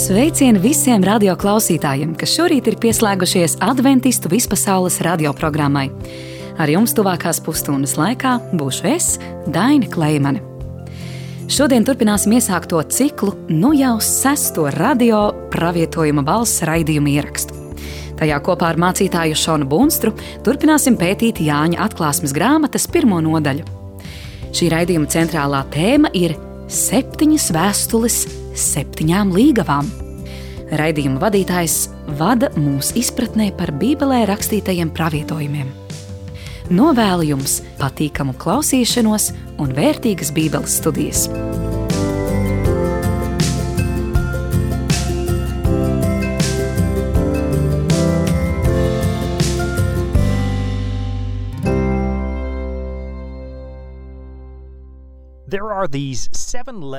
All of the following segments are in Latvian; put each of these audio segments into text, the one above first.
Sveicieni visiem radioklausītājiem, kas šorīt ir pieslēgušies Adventistu vispasaules radioprogrammai. Ar jums tuvākās pusstundas laikā būšu es, Daina Kleimane. Šodien turpināsim iesākto ciklu jau 6. radio pravietojuma balss raidījumu ierakstu. Tajā kopā ar mācītāju Šonu Bunstru turpināsim pētīt Jāņa atklāsmes grāmatas 1. nodaļu. Šī raidījuma centrālā tēma ir 7 vēstules 7 līgavām. Raidījuma vadītājs vada mūs izpratnē par Bībelē rakstītajiem pravietojumiem. Novēlu jums patīkamu klausīšanos un vērtīgas Bībeles studijas.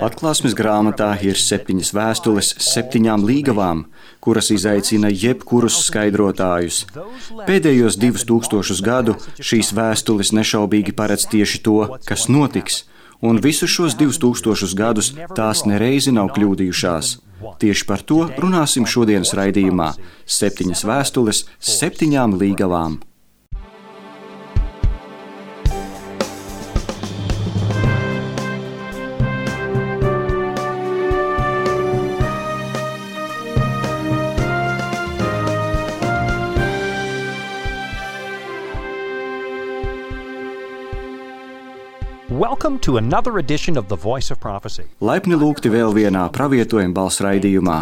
Atklāsmes grāmatā ir 7 vēstules 7 līgavām, kuras izaicina jebkurus skaidrotājus. Pēdējos 2000 gadu šīs vēstules nešaubīgi paredz tieši to, kas notiks, un visus šos 2000 gadus tās nereizi nav kļūdījušās. Tieši par to runāsim šodienas raidījumā – 7 vēstules 7 līgavām. Welcome to another edition of The Voice of Prophecy. Laipni lūgti vēl vienā pravietojuma balss raidījumā.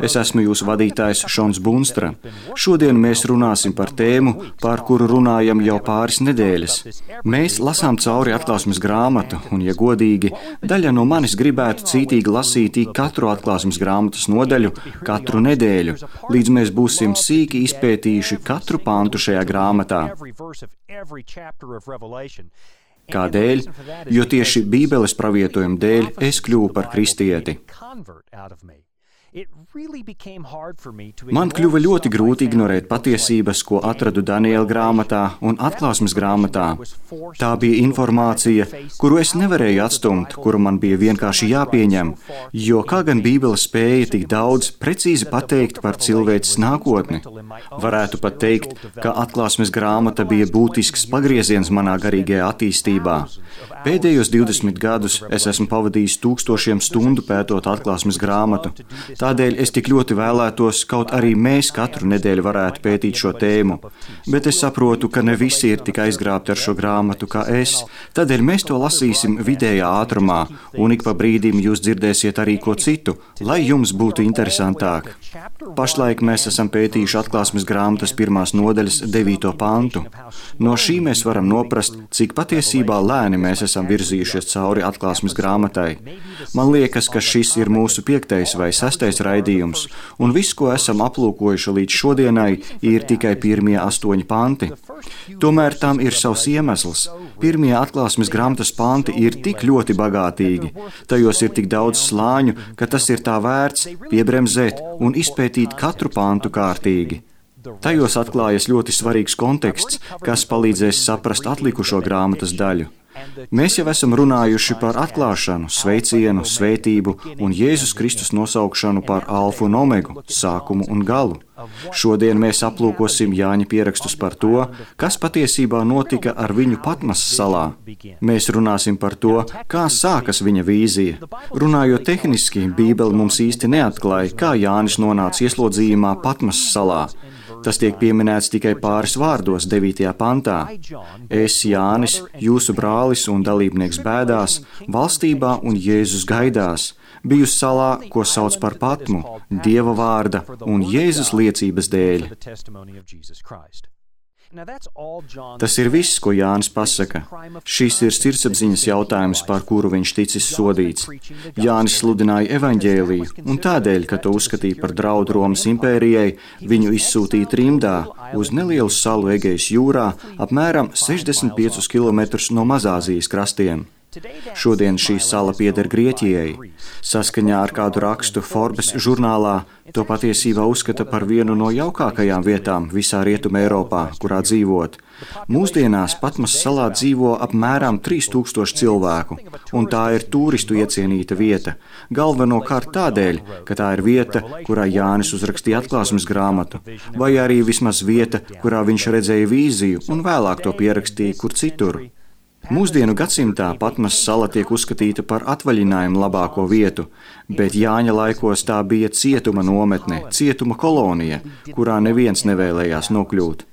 Es esmu jūsu vadītājs Šons Bunstra. Šodien mēs runāsim par tēmu, par kuru runājam jau pāris nedēļas. Mēs lasām cauri atklāsmes grāmatu, un, ja godīgi, daļa no manis gribētu cītīgi lasīt katru atklāsmes grāmatas nodaļu katru nedēļu, līdz mēs būsim sīki izpētījuši katru pantu šajā grāmatā. Kādēļ? Jo tieši Bībeles pravietojuma dēļ es kļuvu par kristieti. Man kļuva ļoti grūti ignorēt patiesības, ko atradu Daniela grāmatā un atklāsmes grāmatā. Tā bija informācija, kuru es nevarēju atstumt, kuru man bija vienkārši jāpieņem, jo kā gan Bībele spēja tik daudz precīzi pateikt par cilvēces nākotni. Varētu pat teikt, ka atklāsmes grāmata bija būtisks pagrieziens manā garīgajā attīstībā. Pēdējos 20 gadus es esmu pavadījis 1000 stundu pētot atklāsmes grāmatu. Tādēļ es tik ļoti vēlētos, kaut arī mēs katru nedēļu varētu pētīt šo tēmu. Bet es saprotu, ka ne visi ir tik aizgrābti ar šo grāmatu kā es. Tādēļ mēs to lasīsim vidējā ātrumā, un ik pa brīdim jūs dzirdēsiet arī ko citu, lai jums būtu interesantāk. Pašlaik mēs esam pētījuši atklāsmes grāmatas 1. nodaļas 9. pantu. No šī mēs varam noprast, cik patiesībā lēni mēs esam virzījušies cauri atklāsmes grāmatai. Man liekas, ka šis ir mūsu 5. vai 6. raidījums, un viss, ko esam aplūkojuši līdz šodienai, ir tikai pirmie 8 panti. Tomēr tam ir savs iemesls. Pirmie atklāsmes grāmatas panti ir tik ļoti bagātīgi. Tajos ir tik daudz slāņu, ka tas ir tā vērts piebremzēt un izpētīt katru pantu kārtīgi. Tajos atklājas ļoti svarīgs konteksts, kas palīdzēs saprast atlikušo grāmatas daļu. Mēs jau esam runājuši par atklāšanu, sveicienu, svētību un Jēzus Kristus nosaukšanu par alfu un omegu, sākumu un galu. Šodien mēs aplūkosim Jāņa pierakstus par to, kas patiesībā notika ar viņu Patmas salā. Mēs runāsim par to, kā sākas viņa vīzija. Runājot tehniski, Bībele mums īsti neatklāja, kā Jānis nonāca ieslodzījumā Patmas salā. Tas tiek pieminēts tikai pāris vārdos 9. pantā. Es, Jānis, jūsu brālis un dalībnieks bēdās, valstībā un Jēzus gaidās. Biju salā, ko sauc par Patmu, Dieva vārda un Jēzus liecības dēļ. Tas ir viss, ko Jānis pasaka. Šis ir sirdsapziņas jautājums, par kuru viņš ticis sodīts. Jānis sludināja evaņģēliju, un tādēļ, ka to uzskatīja par draudu Romas impērijai, viņu izsūtīja trimdā uz nelielu salu Egejas jūrā, apmēram 65 km no Mazāzijas krastiem. Šodien šī sala pieder Grieķijai. Saskaņā ar kādu rakstu Forbes žurnālā to patiesībā uzskata par vienu no jaukākajām vietām visā Rietumē Eiropā, kurā dzīvot. Mūsdienās Patmas salā dzīvo apmēram 3000 cilvēku, un tā ir turistu iecienīta vieta. Galvenokārt tādēļ, ka tā ir vieta, kurā Jānis uzrakstīja atklāsmes grāmatu, vai arī vismaz vieta, kurā viņš redzēja vīziju un vēlāk to pierakstīja kur citur. Mūsdienu gadsimtā Patmas sala tiek uzskatīta par atvaļinājumu labāko vietu, bet Jāņa laikos tā bija cietuma nometne, cietuma kolonija, kurā neviens nevēlējās nokļūt.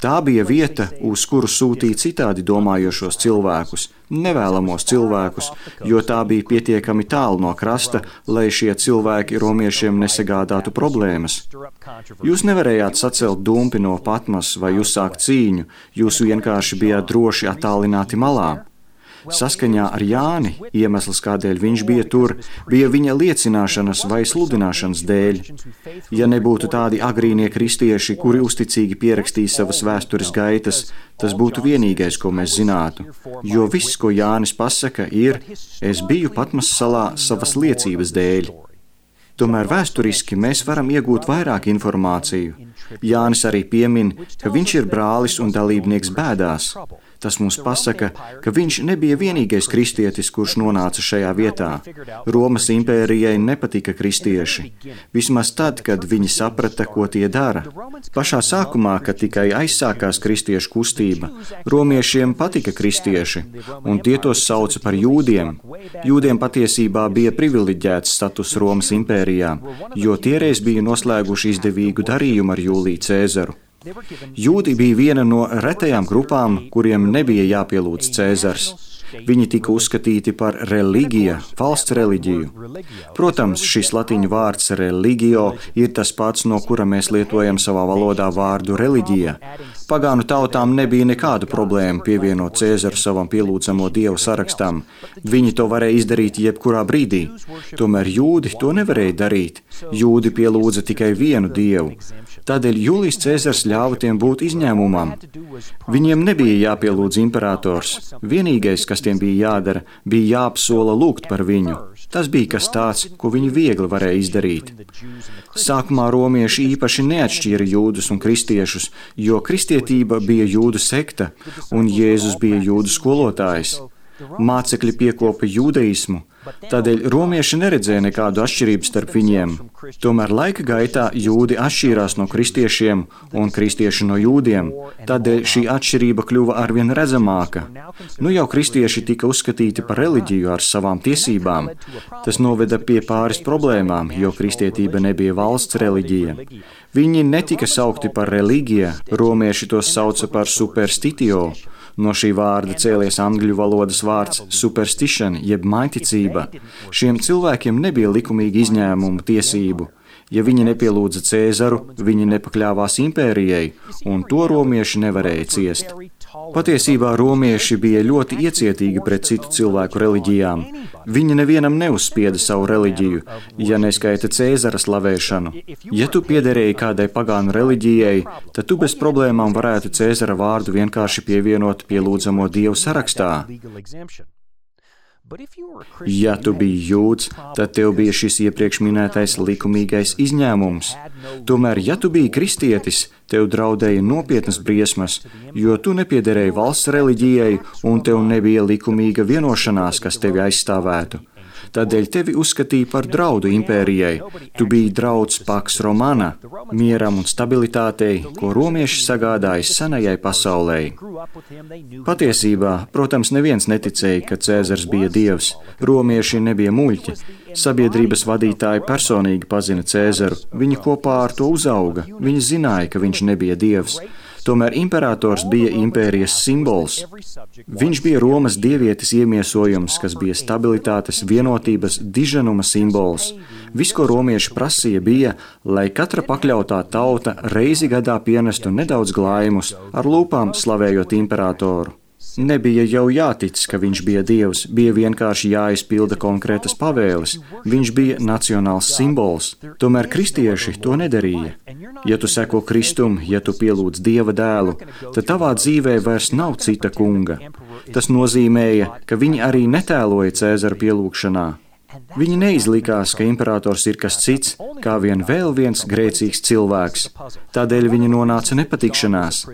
Tā bija vieta, uz kuru sūtīja citādi domājošos cilvēkus, nevēlamos cilvēkus, jo tā bija pietiekami tālu no krasta, lai šie cilvēki romiešiem nesagādātu problēmas. Jūs nevarējāt sacelt dumpi no Patmas vai uzsākt cīņu, jūs vienkārši bijāt droši attālināti malā. Saskaņā ar Jāni iemesls, kādēļ viņš bija tur, bija viņa liecināšanas vai sludināšanas dēļ. Ja nebūtu tādi agrīnie kristieši, kuri uzticīgi pierakstīja savas vēstures gaitas, tas būtu vienīgais, ko mēs zinātu. Jo viss, ko Jānis pasaka, ir: es biju Patmas salā savas liecības dēļ. Tomēr vēsturiski mēs varam iegūt vairāk informāciju. Jānis arī piemin, ka viņš ir brālis un dalībnieks bēdās. Tas mums pasaka, ka viņš nebija vienīgais kristietis, kurš nonāca šajā vietā. Romas impērijai nepatika kristieši, vismaz tad, kad viņi saprata, ko tie dara. Pašā sākumā, kad tikai aizsākās kristiešu kustība, romiešiem patika kristieši, un tie tos sauca par jūdiem. Jūdiem patiesībā bija privileģēts status Romas impērijā, jo tiereiz bija noslēguši izdevīgu darījumu ar Jūliju Cēzaru. Jūdi bija viena no retajām grupām, kuriem nebija jāpielūdz Cēzars. Viņi tika uzskatīti par reliģija, valsts reliģiju. Protams, šis latīņu vārds religio ir tas pats, no kura mēs lietojam savā valodā vārdu reliģija. Pagānu tautām nebija nekādu problēmu pievienot Cēzaru savam pielūdzamo dievu sarakstam. Viņi to varēja izdarīt jebkurā brīdī. Tomēr jūdi to nevarēja darīt. Jūdi pielūdza tikai vienu dievu. Tādēļ Jūlijs Cēzars ļāva tiem būt izņēmumam. Viņiem nebija jāpielūdz imperators. Vienīgais, kas tiem bija jādara, bija jāapsola lūgt par viņu. Tas bija kas tāds, ko viņi viegli varēja izdarīt. Sākumā romieši īpaši neatšķīra jūdus un kristiešus, jo kristietība bija jūdu sekta un Jēzus bija jūdu skolotājs. Mācekļi piekopa jūdeismu, tādēļ romieši neredzēja nekādu atšķirību starp viņiem. Tomēr laika gaitā jūdi atšķīrās no kristiešiem un kristieši no jūdiem, tādēļ šī atšķirība kļuva arvien redzamāka. Nu jau kristieši tika uzskatīti par reliģiju ar savām tiesībām. Tas noveda pie pāris problēmām, jo kristietība nebija valsts reliģija. Viņi netika saukti par reliģiju, romieši tos sauca par superstitio. No šī vārda cēlies angļu valodas vārds superstition, jeb maiticība. Šiem cilvēkiem nebija likumīgi izņēmumu tiesību. Ja viņi nepielūdza Cēzaru, viņi nepakļāvās impērijai, un to romieši nevarēja ciest. Patiesībā romieši bija ļoti iecietīgi pret citu cilvēku reliģijām. Viņi nevienam neuzspieda savu reliģiju, ja neskaita Cēzara slavēšanu. Ja tu piederēji kādai pagānu reliģijai, tad tu bez problēmām varētu Cēzara vārdu vienkārši pievienot pielūdzamo dievu sarakstā. Ja tu biji jūds, tad tev bija šis iepriekš minētais likumīgais izņēmums. Tomēr, ja tu biji kristietis, tev draudēja nopietnas briesmas, jo tu nepiederēji valsts reliģijai un tev nebija likumīga vienošanās, kas tevi aizstāvētu. Tādēļ tevi uzskatīja par draudu impērijai. Tu biji drauds Pax Romana, mieram un stabilitātei, ko romieši sagādāja senajai pasaulē. Patiesībā, protams, neviens neticēja, ka Cēzars bija dievs. Romieši nebija muļķi. Sabiedrības vadītāji personīgi pazina Cēzaru. Viņi kopā ar to uzauga. Viņi zināja, ka viņš nebija dievs. Tomēr imperators bija impērijas simbols. Viņš bija Romas dievietes iemiesojums, kas bija stabilitātes, vienotības, diženuma simbols. Viss, ko romieši prasīja, bija, lai katra pakļautā tauta reizi gadā pienestu nedaudz glājumus, ar lūpām slavējot imperatoru. Nebija jau jātic, ka viņš bija Dievs, bija vienkārši jāizpilda konkrētas pavēles. Viņš bija nacionāls simbols, tomēr kristieši to nedarīja. Ja tu seko Kristum, ja tu pielūdz Dieva dēlu, tad tavā dzīvē vairs nav cita kunga. Tas nozīmēja, ka viņi arī netēloja Cēzara pielūgšanā. Viņi neizlikās, ka imperators ir kas cits, kā vien vēl viens grēcīgs cilvēks. Tādēļ viņi nonāca nepatikšanās.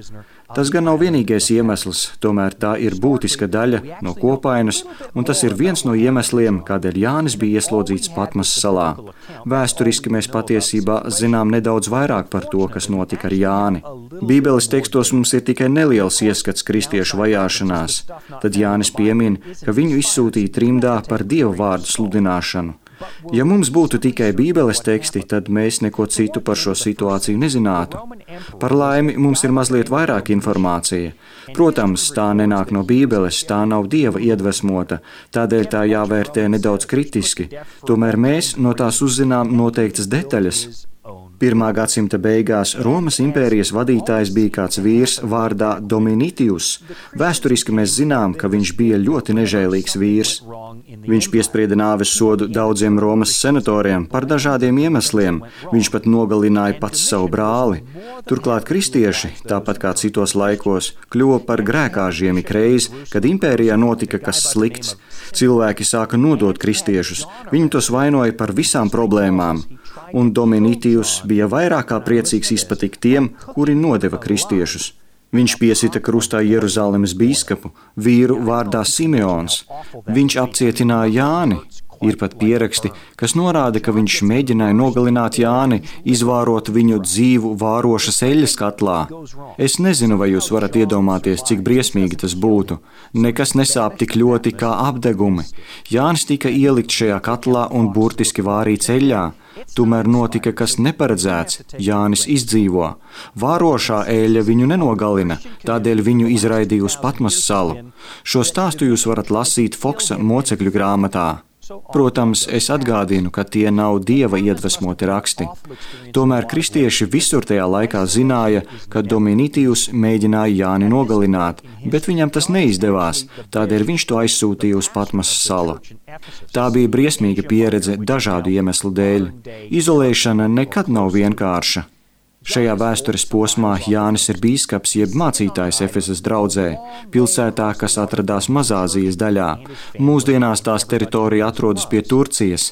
Tas gan nav vienīgais iemesls, tomēr tā ir būtiska daļa no kopainas, un tas ir viens no iemesliem, kādēļ Jānis bija ieslodzīts Patmas salā. Vēsturiski mēs patiesībā zinām nedaudz vairāk par to, kas notika ar Jāni. Bībeles tekstos mums ir tikai neliels ieskats kristiešu vajāšanās. Tad Jānis piemin, ka viņu izsūtīja trimdā par Dieva vārdu sludināšanu. Ja mums būtu tikai Bībeles teksti, tad mēs neko citu par šo situāciju nezinātu. Par laimi mums ir mazliet vairāk informācija. Protams, tā nenāk no Bībeles, tā nav Dieva iedvesmota, tādēļ tā jāvērtē nedaudz kritiski. Tomēr mēs no tās uzzinām noteiktas detaļas. 1. gadsimta beigās Romas impērijas vadītājs bija kāds vīrs vārdā Dominitius. Vēsturiski mēs zinām, ka viņš bija ļoti nežēlīgs vīrs. Viņš piesprieda nāves sodu daudziem Romas senatoriem par dažādiem iemesliem. Viņš pat nogalināja pats savu brāli. Turklāt kristieši, tāpat kā citos laikos, kļuva par grēkāžiem ikreiz, kad impērijā notika kas slikts. Cilvēki sāka nodot kristiešus. Viņi tos vainoja par visām problēmām. Un Dominitius bija vairāk kā priecīgs izpatikt tiem, kuri nodeva kristiešus. Viņš piesita krustā Jeruzalemes bīskapu, vīru vārdā Simeons. Viņš apcietināja Jāni. Ir pat pieraksti, kas norāda, ka viņš mēģināja nogalināt Jāni, izvārot viņu dzīvu vārošas eļļas katlā. Es nezinu, vai jūs varat iedomāties, cik briesmīgi tas būtu. Nekas nesāp tik ļoti kā apdegumi. Jānis tika ielikt šajā katlā un burtiski vārīts eļļā. Tomēr notika kas neparedzēts. Jānis izdzīvo. Vārošā eļļa viņu nenogalina, tādēļ viņu izraidīja uz Patmas salu. Šo stāstu jūs varat lasīt Foksa mocekļu grāmatā. Protams, es atgādinu, ka tie nav Dieva iedvesmoti raksti. Tomēr kristieši visur tajā laikā zināja, ka Dominitius mēģināja Jāni nogalināt, bet viņam tas neizdevās, tādēļ viņš to aizsūtīja uz Patmas salu. Tā bija briesmīga pieredze dažādu iemeslu dēļ. Izolēšana nekad nav vienkārša. Šajā vēstures posmā Jānis ir bīskaps jeb mācītājs Efesas draudzē, pilsētā, kas atradās Mazāzijas daļā. Mūsdienās tās teritorija atrodas pie Turcijas.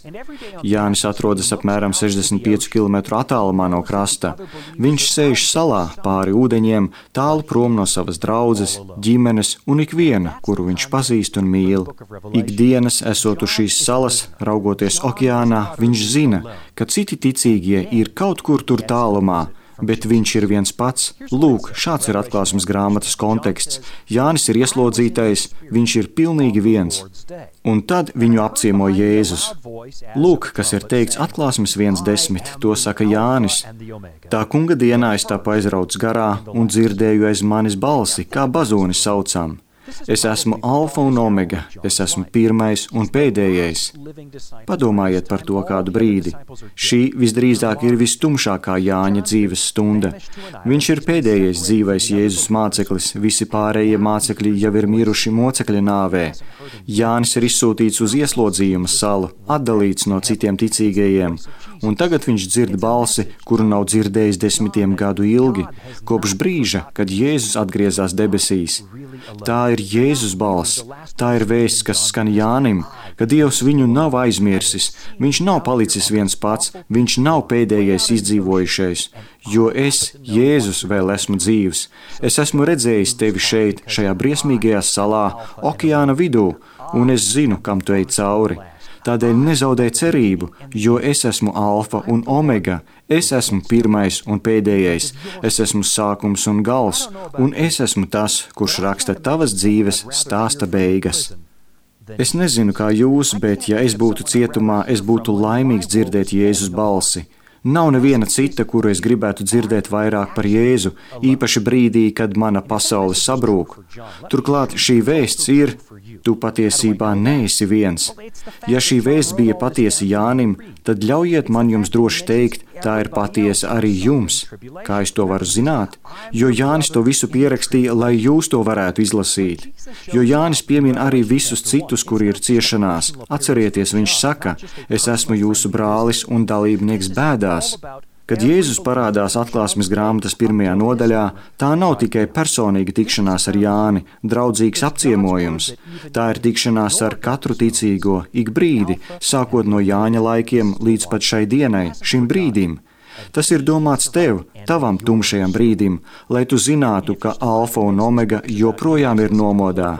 Jānis atrodas apmēram 65 km attālumā no krasta. Viņš sēž salā pāri ūdeņiem, tālu prom no savas draudzes, ģimenes un ikviena, kuru viņš pazīst un mīl. Ikdienas, esot uz šīs salas, raugoties okeānā, viņš zina, ka citi ticīgie ir kaut kur tur tālumā, bet viņš ir viens pats. Lūk, šāds ir atklāsmes grāmatas konteksts. Jānis ir ieslodzītais, viņš ir pilnīgi viens. Un tad viņu apciemo Jēzus. Lūk, kas ir teikts atklāsmes 1:10, to saka Jānis. Tā kunga dienā es tapu aizrauts garā un dzirdēju aiz manis balsi, kā bazūni saucam. Es esmu alfa un omega, es esmu pirmais un pēdējais. Padomājiet par to kādu brīdi. Šī visdrīzāk ir vistumšākā Jāņa dzīves stunda. Viņš ir pēdējais dzīvais Jēzus māceklis, visi pārējie mācekļi jau ir miruši mocekļa nāvē. Jānis ir izsūtīts uz ieslodzījuma salu, atdalīts no citiem ticīgajiem, un tagad viņš dzird balsi, kuru nav dzirdējis 10 gadu ilgi, kopš brīža, kad Jēzus atgriezās debesīs. Tā ir Jēzus balss, tā ir vēsts, kas skan Jānim, ka Dievs viņu nav aizmirsis, viņš nav palicis viens pats, viņš nav pēdējais izdzīvojušais, jo es, Jēzus, vēl esmu dzīvs. Es esmu redzējis tevi šeit, šajā briesmīgajā salā, okeāna vidū, un es zinu, kam tu ej cauri. Tādēļ nezaudē cerību, jo es esmu alfa un omega, es esmu pirmais un pēdējais, es esmu sākums un gals, un es esmu tas, kurš raksta tavas dzīves stāsta beigas. Es nezinu, kā jūs, bet ja es būtu cietumā, es būtu laimīgs dzirdēt Jēzus balsi. Nav neviena cita, kuru es gribētu dzirdēt vairāk par Jēzu, īpaši brīdī, kad mana pasaule sabrūk. Turklāt šī vēsts ir, tu patiesībā neesi viens. Ja šī vēsts bija patiesa Jānim, tad ļaujiet man jums droši teikt, tā ir patiesa arī jums. Kā es to varu zināt? Jo Jānis to visu pierakstīja, lai jūs to varētu izlasīt. Jo Jānis piemin arī visus citus, kuri ir ciešanās. Atcerieties, viņš saka, es esmu jūsu brālis un dalībnieks bēdās. Kad Jēzus parādās Atklāsmes grāmatas 1. nodaļā, tā nav tikai personīga tikšanās ar Jāni, draudzīgs apciemojums. Tā ir tikšanās ar katru ticīgo ik brīdi, sākot no Jāņa laikiem līdz pat šai dienai, šim brīdim. Tas ir domāts tev, tavam tumšajam brīdim, lai tu zinātu, ka alfa un omega joprojām ir nomodā.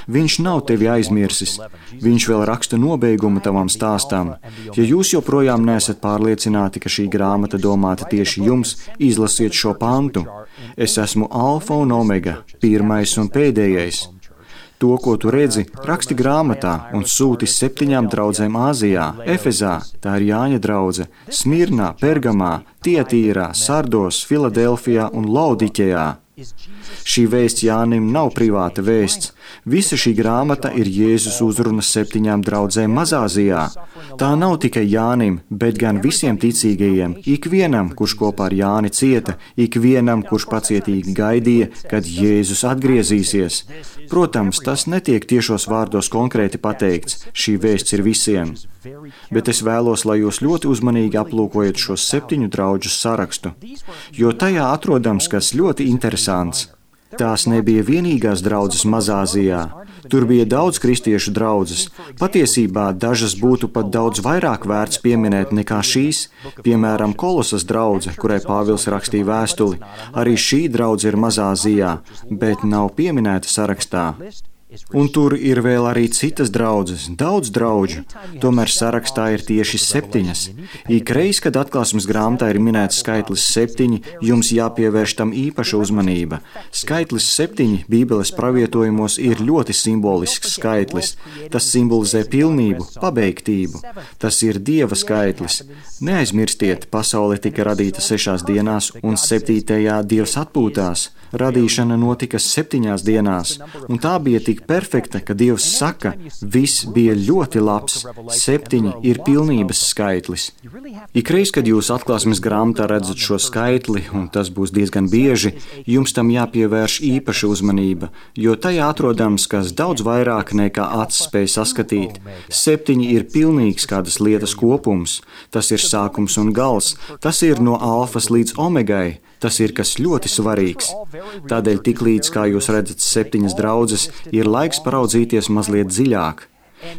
Viņš nav tevi aizmirsis. Viņš vēl raksta nobeigumu tavam stāstam. Ja jūs joprojām neesat pārliecināti, ka šī grāmata domāta tieši jums, izlasiet šo pantu. Es esmu alfa un omega, pirmais un pēdējais. To, ko tu redzi, raksti grāmatā un sūti 7 draudzēm Āzijā, Efezā, tā ir Jāņa draudze, Smirnā, Pergamā, Tietīrā, Sardos, Filadelfijā un Laodiķejā. Šī vēsts Jānim nav privāta vēsts. Visa šī grāmata ir Jēzus uzruna 7 draudzēm Mazāzijā. Tā nav tikai Jānim, bet gan visiem ticīgajiem, ikvienam, kurš kopā ar Jāni cieta, ikvienam, kurš pacietīgi gaidīja, kad Jēzus atgriezīsies. Protams, tas netiek tiešos vārdos konkrēti pateikts, šī vēsts ir visiem. Bet es vēlos, lai jūs ļoti uzmanīgi aplūkojat šo 7 draudžu sarakstu, jo tajā atrodams kas ļoti interesants. Tās nebija vienīgās draudzes Mazāzijā. Tur bija daudz kristiešu draudzes. Patiesībā dažas būtu pat daudz vairāk vērts pieminēt nekā šīs. Piemēram, Kolosas draudze, kurai Pāvils rakstīja vēstuli. Arī šī draudze ir Mazāzijā, bet nav pieminēta sarakstā. Un tur ir vēl arī citas draudzes, daudz draudžu, tomēr sarakstā ir tieši 7. Ikreiz, kad Atklāsmes grāmatā ir minēts skaitlis 7, jums jāpievērš tam īpaša uzmanība. Skaitlis 7 Bībeles pravietojumos ir ļoti simbolisks skaitlis. Tas simbolizē pilnību, pabeigtību. Tas ir Dieva skaitlis. Neaizmirstiet, pasaule tika radīta 6 dienās un 7. Dievs atpūtās. Radīšana notika 7 dienās, un tā bija tik perfekta, ka Dievs saka, viss bija ļoti labs. 7 ir pilnības skaitlis. Ikreiz, kad jūs Atklāsmes grāmatā redzat šo skaitli, un tas būs diezgan bieži, jums tam jāpievērš īpaša uzmanība, jo tajā atrodams kas daudz vairāk nekā acis spēj saskatīt. 7 ir pilnīgs kādas lietas kopums. Tas ir sākums un gals. Tas ir no alfas līdz omegai. Tas ir kas ļoti svarīgs. Tādēļ tiklīdz, kā jūs redzat 7 draudzes, ir laiks paraudzīties mazliet dziļāk.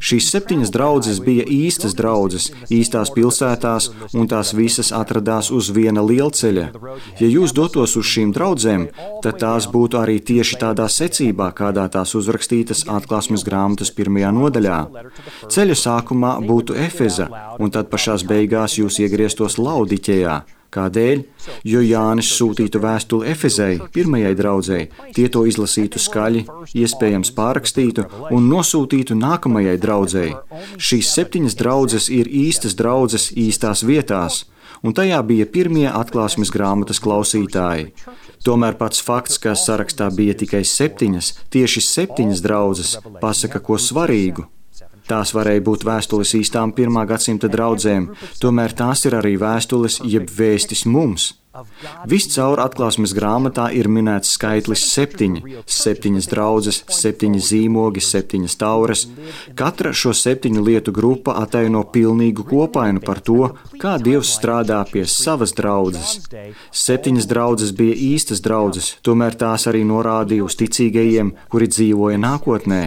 Šīs 7 draudzes bija īstas draudzes, īstās pilsētās, un tās visas atradās uz viena lielceļa. Ja jūs dotos uz šīm draudzēm, tad tās būtu arī tieši tādā secībā, kādā tās uzrakstītas Atklāsmes grāmatas 1. nodaļā. Ceļa sākumā būtu Efeza, un tad pašās beigās jūs iegrieztos Laodiķejā. Kādēļ? Jo Jānis sūtītu vēstuli Efezei, pirmajai draudzei, tie to izlasītu skaļi, iespējams pārrakstītu un nosūtītu nākamajai draudzei. Šīs 7 draudzes ir īstas draudzes īstās vietās, un tajā bija pirmie Atklāsmes grāmatas klausītāji. Tomēr pats fakts, ka sarakstā bija tikai 7, tieši 7 draudzes, pasaka ko svarīgu. Tās varēja būt vēstules īstām 1. gadsimta draudzēm, tomēr tās ir arī vēstules jeb vēstis mums. Viscaur Atklāsmes grāmatā ir minēts skaitlis 7, 7 draudzes, 7 zīmogi, 7 taures. Katra šo 7 lietu grupa ataino pilnīgu kopainu par to, kā Dievs strādā pie savas draudzes. 7 draudzes bija īstas draudzes, tomēr tās arī norādīja uz ticīgajiem, kuri dzīvoja nākotnē.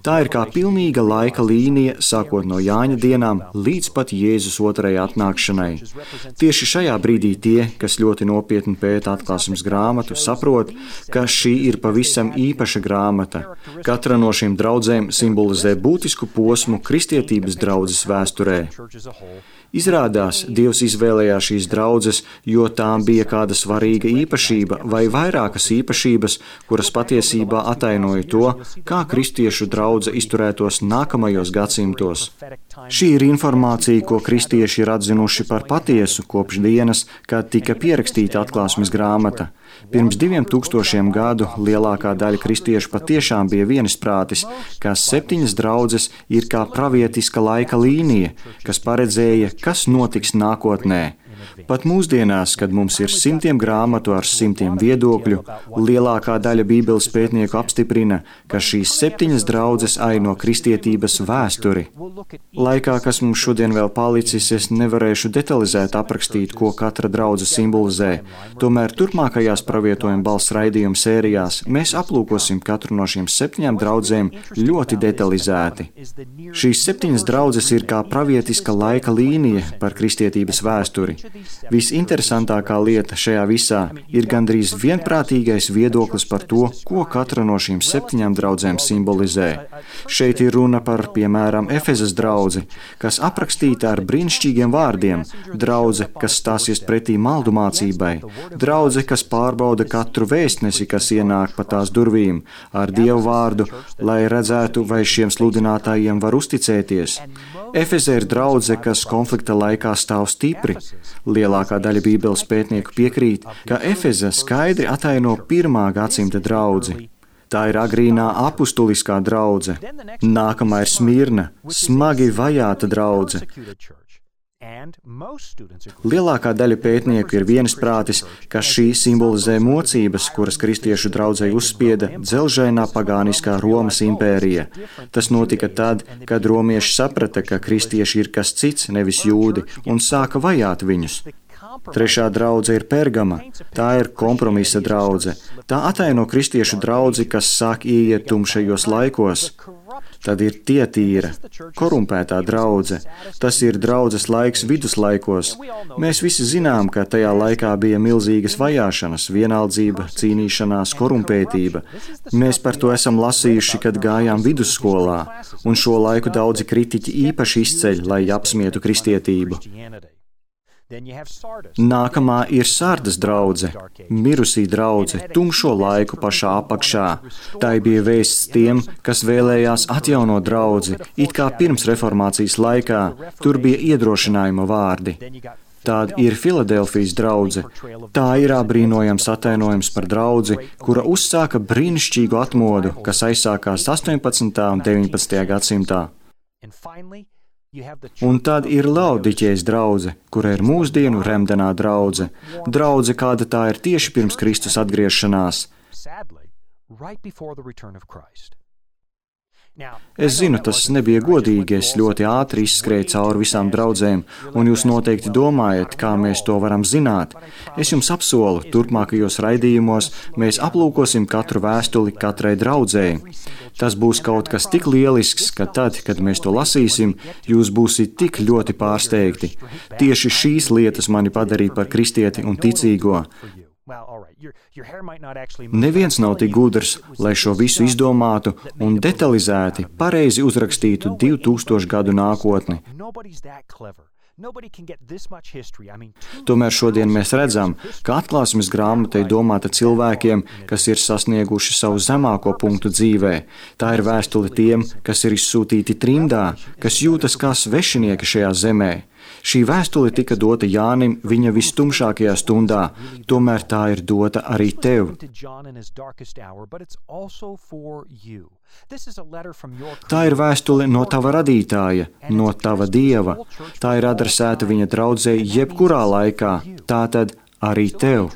Tā ir kā pilnīga laika līnija, sākot no Jāņa dienām līdz pat Jēzus otrajai atnākšanai. Tieši šajā brīdī tie, kas ļoti nopietni pēta Atklāsmes grāmatu, saprot, ka šī ir pavisam īpaša grāmata. Katra no šīm draudzēm simbolizē būtisku posmu kristietības draudzes vēsturē. Izrādās, Dievs izvēlējās šīs draudzes, jo tām bija kāda svarīga īpašība vai vairākas īpašības, kuras patiesībā atainoja to, kā kristiešu draudze izturētos nākamajos gadsimtos. Šī ir informācija, ko kristieši ir atzinuši par patiesu kopš dienas, kad tika pierakstīta Atklāsmes grāmata. Pirms 2000 gadu lielākā daļa kristiešu patiešām bija vienisprātis, ka 7 draudzes ir kā pravietiska laika līnija, kas paredzēja, kas notiks nākotnē. Pat mūsdienās, kad mums ir simtiem grāmatu ar simtiem viedokļu, lielākā daļa Bībeles pētnieku apstiprina, ka šīs 7 draudzes aino kristietības vēsturi. Laikā, kas mums šodien vēl palicis, es nevarēšu detalizēt aprakstīt, ko katra draudze simbolizē. Tomēr turpmākajās pravietojuma balss raidījuma sērijās mēs aplūkosim katru no šīm 7 draudzēm ļoti detalizēti. Šīs 7 draudzes ir kā pravietiska laika līnija par kristietības vēsturi. Visinteresantākā lieta šajā visā ir gandrīz vienprātīgais viedoklis par to, ko katra no šīm 7 draudzēm simbolizē. Šeit ir runa par, piemēram, Efezas draudzi, kas aprakstīta ar brīnišķīgiem vārdiem, draudze, kas stāsies pretī maldu mācībai, draudze, kas pārbauda katru vēstnesi, kas ienāk pa tās durvīm, ar Dievu vārdu, lai redzētu, vai šiem sludinātājiem var uzticēties. Efeze ir draudze, kas konflikta laikā stāv stipri. Lielākā daļa Bībeles pētnieku piekrīt, ka Efeze skaidri ataino 1. gadsimta draudzi. Tā ir agrīnā apustuliskā draudze. Nākamā ir Smirna, smagi vajāta draudze. Lielākā daļa pētnieku ir vienisprātis, ka šī simbolizē mocības, kuras kristiešu draudzei uzspieda dzelžainā pagāniskā Romas impērija. Tas notika tad, kad romieši saprata, ka kristieši ir kas cits, nevis jūdi, un sāka vajāt viņus. 3. draudze ir Pergama. Tā ir kompromisa draudze. Tā ataino kristiešu draudzi, kas sāk ieiet tumšajos laikos. Tad ir Tietīra, korumpētā draudze. Tas ir draudzes laiks viduslaikos. Mēs visi zinām, ka tajā laikā bija milzīgas vajāšanas, vienaldzība, cīnīšanās, korumpētība. Mēs par to esam lasījuši, kad gājām vidusskolā, un šo laiku daudzi kritiķi īpaši izceļ, lai apsmietu kristietību. Nākamā ir Sardas draudze, mirusī draudze, tumšo laiku pašā apakšā. Tā bija vēsts tiem, kas vēlējās atjaunot draudzi, it kā pirms reformācijas laikā. Tur bija iedrošinājuma vārdi. Tāda ir Filadelfijas draudze. Tā ir apbrīnojams atainojums par draudzi, kura uzsāka brīnišķīgu atmodu, kas aizsākās 18. un 19. gadsimtā. Un tad ir Laodiķejas draudze, kura ir mūsdienu remdenā draudze. Draudze, kāda tā ir tieši pirms Kristus atgriešanās. Es zinu, tas nebija godīgi, es ļoti ātri izskrēju cauri visām draudzēm, un jūs noteikti domājat, kā mēs to varam zināt. Es jums apsolu, turpmākajos raidījumos mēs aplūkosim katru vēstuli katrai draudzēji. Tas būs kaut kas tik lielisks, ka tad, kad mēs to lasīsim, jūs būsiet tik ļoti pārsteigti. Tieši šīs lietas mani padarīja par kristieti un ticīgo. Neviens nav tik gudrs, lai šo visu izdomātu un detalizēti, pareizi uzrakstītu 2000 gadu nākotni. Tomēr šodien mēs redzam, ka atklāsmes grāmata ir domāta cilvēkiem, kas ir sasnieguši savu zemāko punktu dzīvē. Tā ir vēstule tiem, kas ir izsūtīti trimdā, kas jūtas kā svešinieki šajā zemē. Šī vēstule tika dota Jānim viņa vistumšākajā stundā, tomēr tā ir dota arī tev. Tā ir vēstule no tava radītāja, no tava Dieva. Tā ir adresēta viņa draudzei jebkurā laikā, tātad arī tev.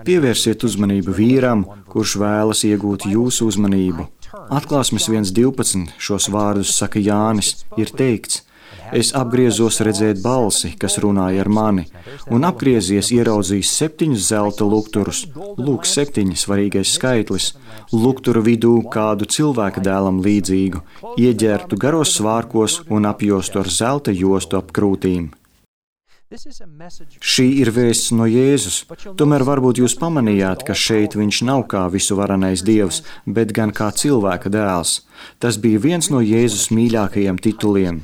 Pievērsiet uzmanību vīram, kurš vēlas iegūt jūsu uzmanību. Atklāsmes 1.12 šos vārdus saka Jānis, ir teikts: Es apgriezos redzēt balsi, kas runāja ar mani, un apgriezies ieraudzījis 7 zelta lukturus. Lūk, 7 svarīgais skaitlis. Lukturu vidū kādu cilvēka dēlam līdzīgu, ieģērtu garos svārkos un apjostu ar zelta jostu ap krūtīm. Šī ir vēsts no Jēzus, tomēr varbūt jūs pamanījāt, ka šeit viņš nav kā visuvarenais Dievs, bet gan kā cilvēka dēls. Tas bija viens no Jēzus mīļākajiem tituliem.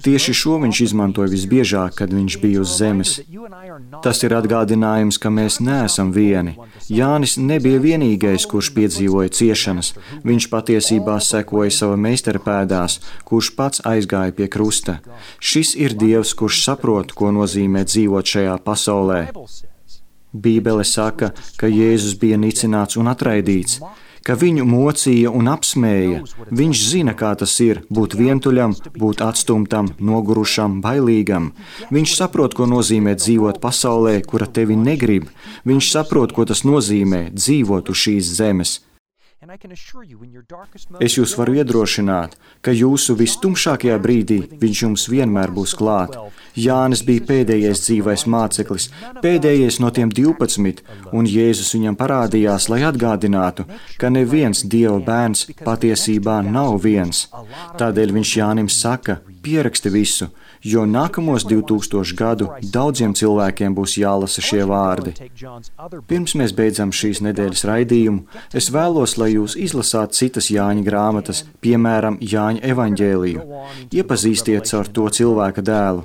Tieši šo viņš izmantoja visbiežāk, kad viņš bija uz zemes. Tas ir atgādinājums, ka mēs neesam vieni. Jānis nebija vienīgais, kurš piedzīvoja ciešanas. Viņš patiesībā sekoja sava meistara pēdās, kurš pats aizgāja pie krusta. Šis ir Dievs, kurš saprot, ko nozīmē dzīvot šajā pasaulē. Bībele saka, ka Jēzus bija nicināts un atraidīts, ka viņu mocīja un apsmēja. Viņš zina, kā tas ir būt vientuļam, būt atstumtam, nogurušam, bailīgam. Viņš saprot, ko nozīmē dzīvot pasaulē, kura tevi negrib. Viņš saprot, ko tas nozīmē dzīvot uz šīs zemes. Es jūs varu iedrošināt, ka jūsu vistumšākajā brīdī viņš jums vienmēr būs klāt. Jānis bija pēdējais dzīvais māceklis, pēdējais no tiem 12, un Jēzus viņam parādījās, lai atgādinātu, ka neviens Dieva bērns patiesībā nav viens. Tādēļ viņš Jānim saka, pieraksti visu, jo nākamos 2000 gadu daudziem cilvēkiem būs jālasa šie vārdi. Pirms mēs beidzam šīs nedēļas raidījumu, es vēlos, lai jūs izlasāt citas Jāņa grāmatas, piemēram, Jāņa evaņģēliju. Iepazīstiet caur to cilvēka dēlu.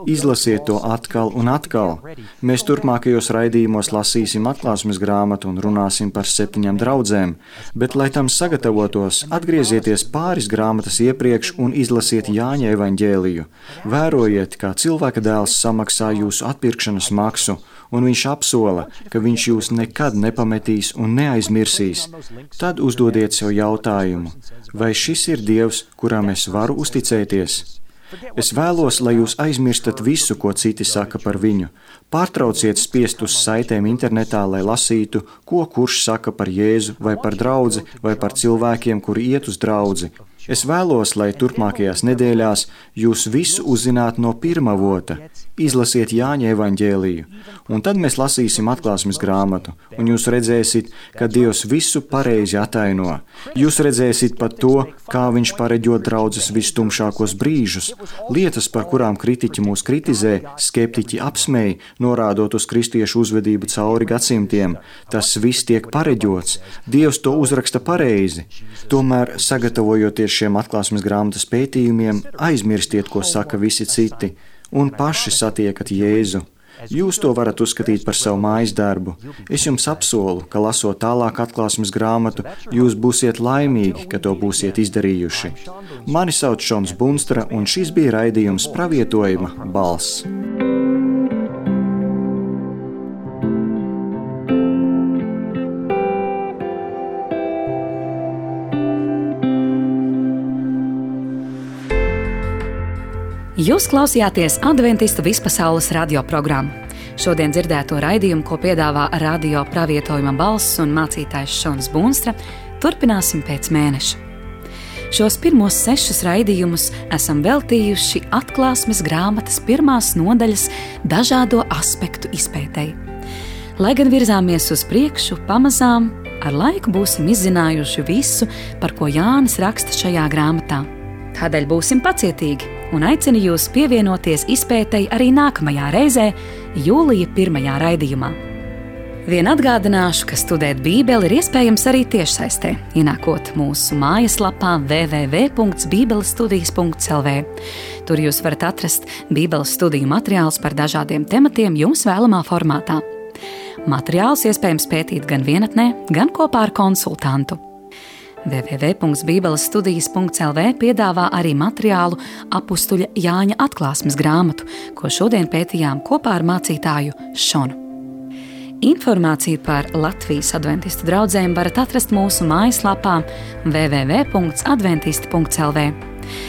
Izlasiet to atkal un atkal. Mēs turpmākajos raidījumos lasīsim atklāsmes grāmatu un runāsim par 7 draudzēm, bet, lai tam sagatavotos, atgriezieties pāris grāmatas iepriekš un izlasiet Jāņa evaņģēliju. Vērojiet, kā cilvēka dēls samaksā jūsu atpirkšanas maksu, un viņš apsola, ka viņš jūs nekad nepametīs un neaizmirsīs. Tad uzdodiet sev jautājumu, vai šis ir Dievs, kuram es varu uzticēties? Es vēlos, lai jūs aizmirstat visu, ko citi saka par viņu. Pārtrauciet spiest uz saitēm internetā, lai lasītu, ko kurš saka par Jēzu vai par draudzi vai par cilvēkiem, kuri iet uz draudzi. Es vēlos, lai turpmākajās nedēļās jūs visu uzzinātu no pirmā avota. Izlasiet Jāņa evaņģēliju, un tad mēs lasīsim atklāsmes grāmatu, un jūs redzēsiet, ka Dievs visu pareizi ataino. Jūs redzēsiet pat to, kā viņš pareģo draudzes vistumšākos brīžus, lietas, par kurām kritiķi mūs kritizē, skeptiķi apsmēj, norādot uz kristiešu uzvedību cauri gadsimtiem. Tas viss tiek pareģots. Dievs to uzraksta pareizi. Tomēr, sagatavojoties šiem atklāsmes grāmatas pētījumiem, aizmirstiet, ko saka visi citi, un paši satiekat Jēzu. Jūs to varat uzskatīt par savu mājas darbu. Es jums apsolu, ka lasot tālāk atklāsmes grāmatu, jūs būsiet laimīgi, ka to būsiet izdarījuši. Mani sauc Šons Bunstra, un šis bija raidījums Pravietojuma balss. Jūs klausījāties Adventistu vispasaules radioprogrammu. Šodien dzirdēto raidījumu, ko piedāvā radio Pravietojuma balss un mācītājs Šons Bunstra, turpināsim pēc mēneša. Šos pirmos 6 raidījumus esam veltījuši atklāsmes grāmatas 1. nodaļas dažādo aspektu izpētei. Lai gan virzāmies uz priekšu, pamazām ar laiku būsim izzinājuši visu, par ko Jānis raksta šajā grāmatā. Tādēļ būsim pacietīgi un aicinu jūs pievienoties izpētei arī nākamajā reizē, jūlija 1. raidījumā. Vien atgādināšu, ka studēt Bībeli ir iespējams arī tiešsaistē, ienākot mūsu mājaslapā www.bībelestudijas.lv. Tur jūs varat atrast Bībeles studiju materiālus par dažādiem tematiem jums vēlamā formātā. Materiālus iespējams pētīt gan vienatnē, gan kopā ar konsultantu. www.bībelestudijas.lv piedāvā arī materiālu apustuļa Jāņa atklāsmes grāmatu, ko šodien pētījām kopā ar mācītāju Šonu. Informāciju par Latvijas adventistu draudzēm varat atrast mūsu mājaslapā www.adventisti.lv.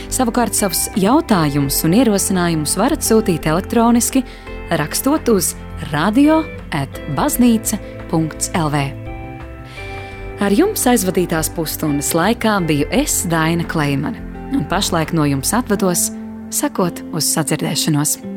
Savukārt savus jautājumus un ierosinājumus varat sūtīt elektroniski, rakstot uz radio@baznīca.lv. Ar jums aizvadītās pusstundas laikā biju es, Daina Kleimane, un pašlaik no jums atvados, sakot uz sadzirdēšanos.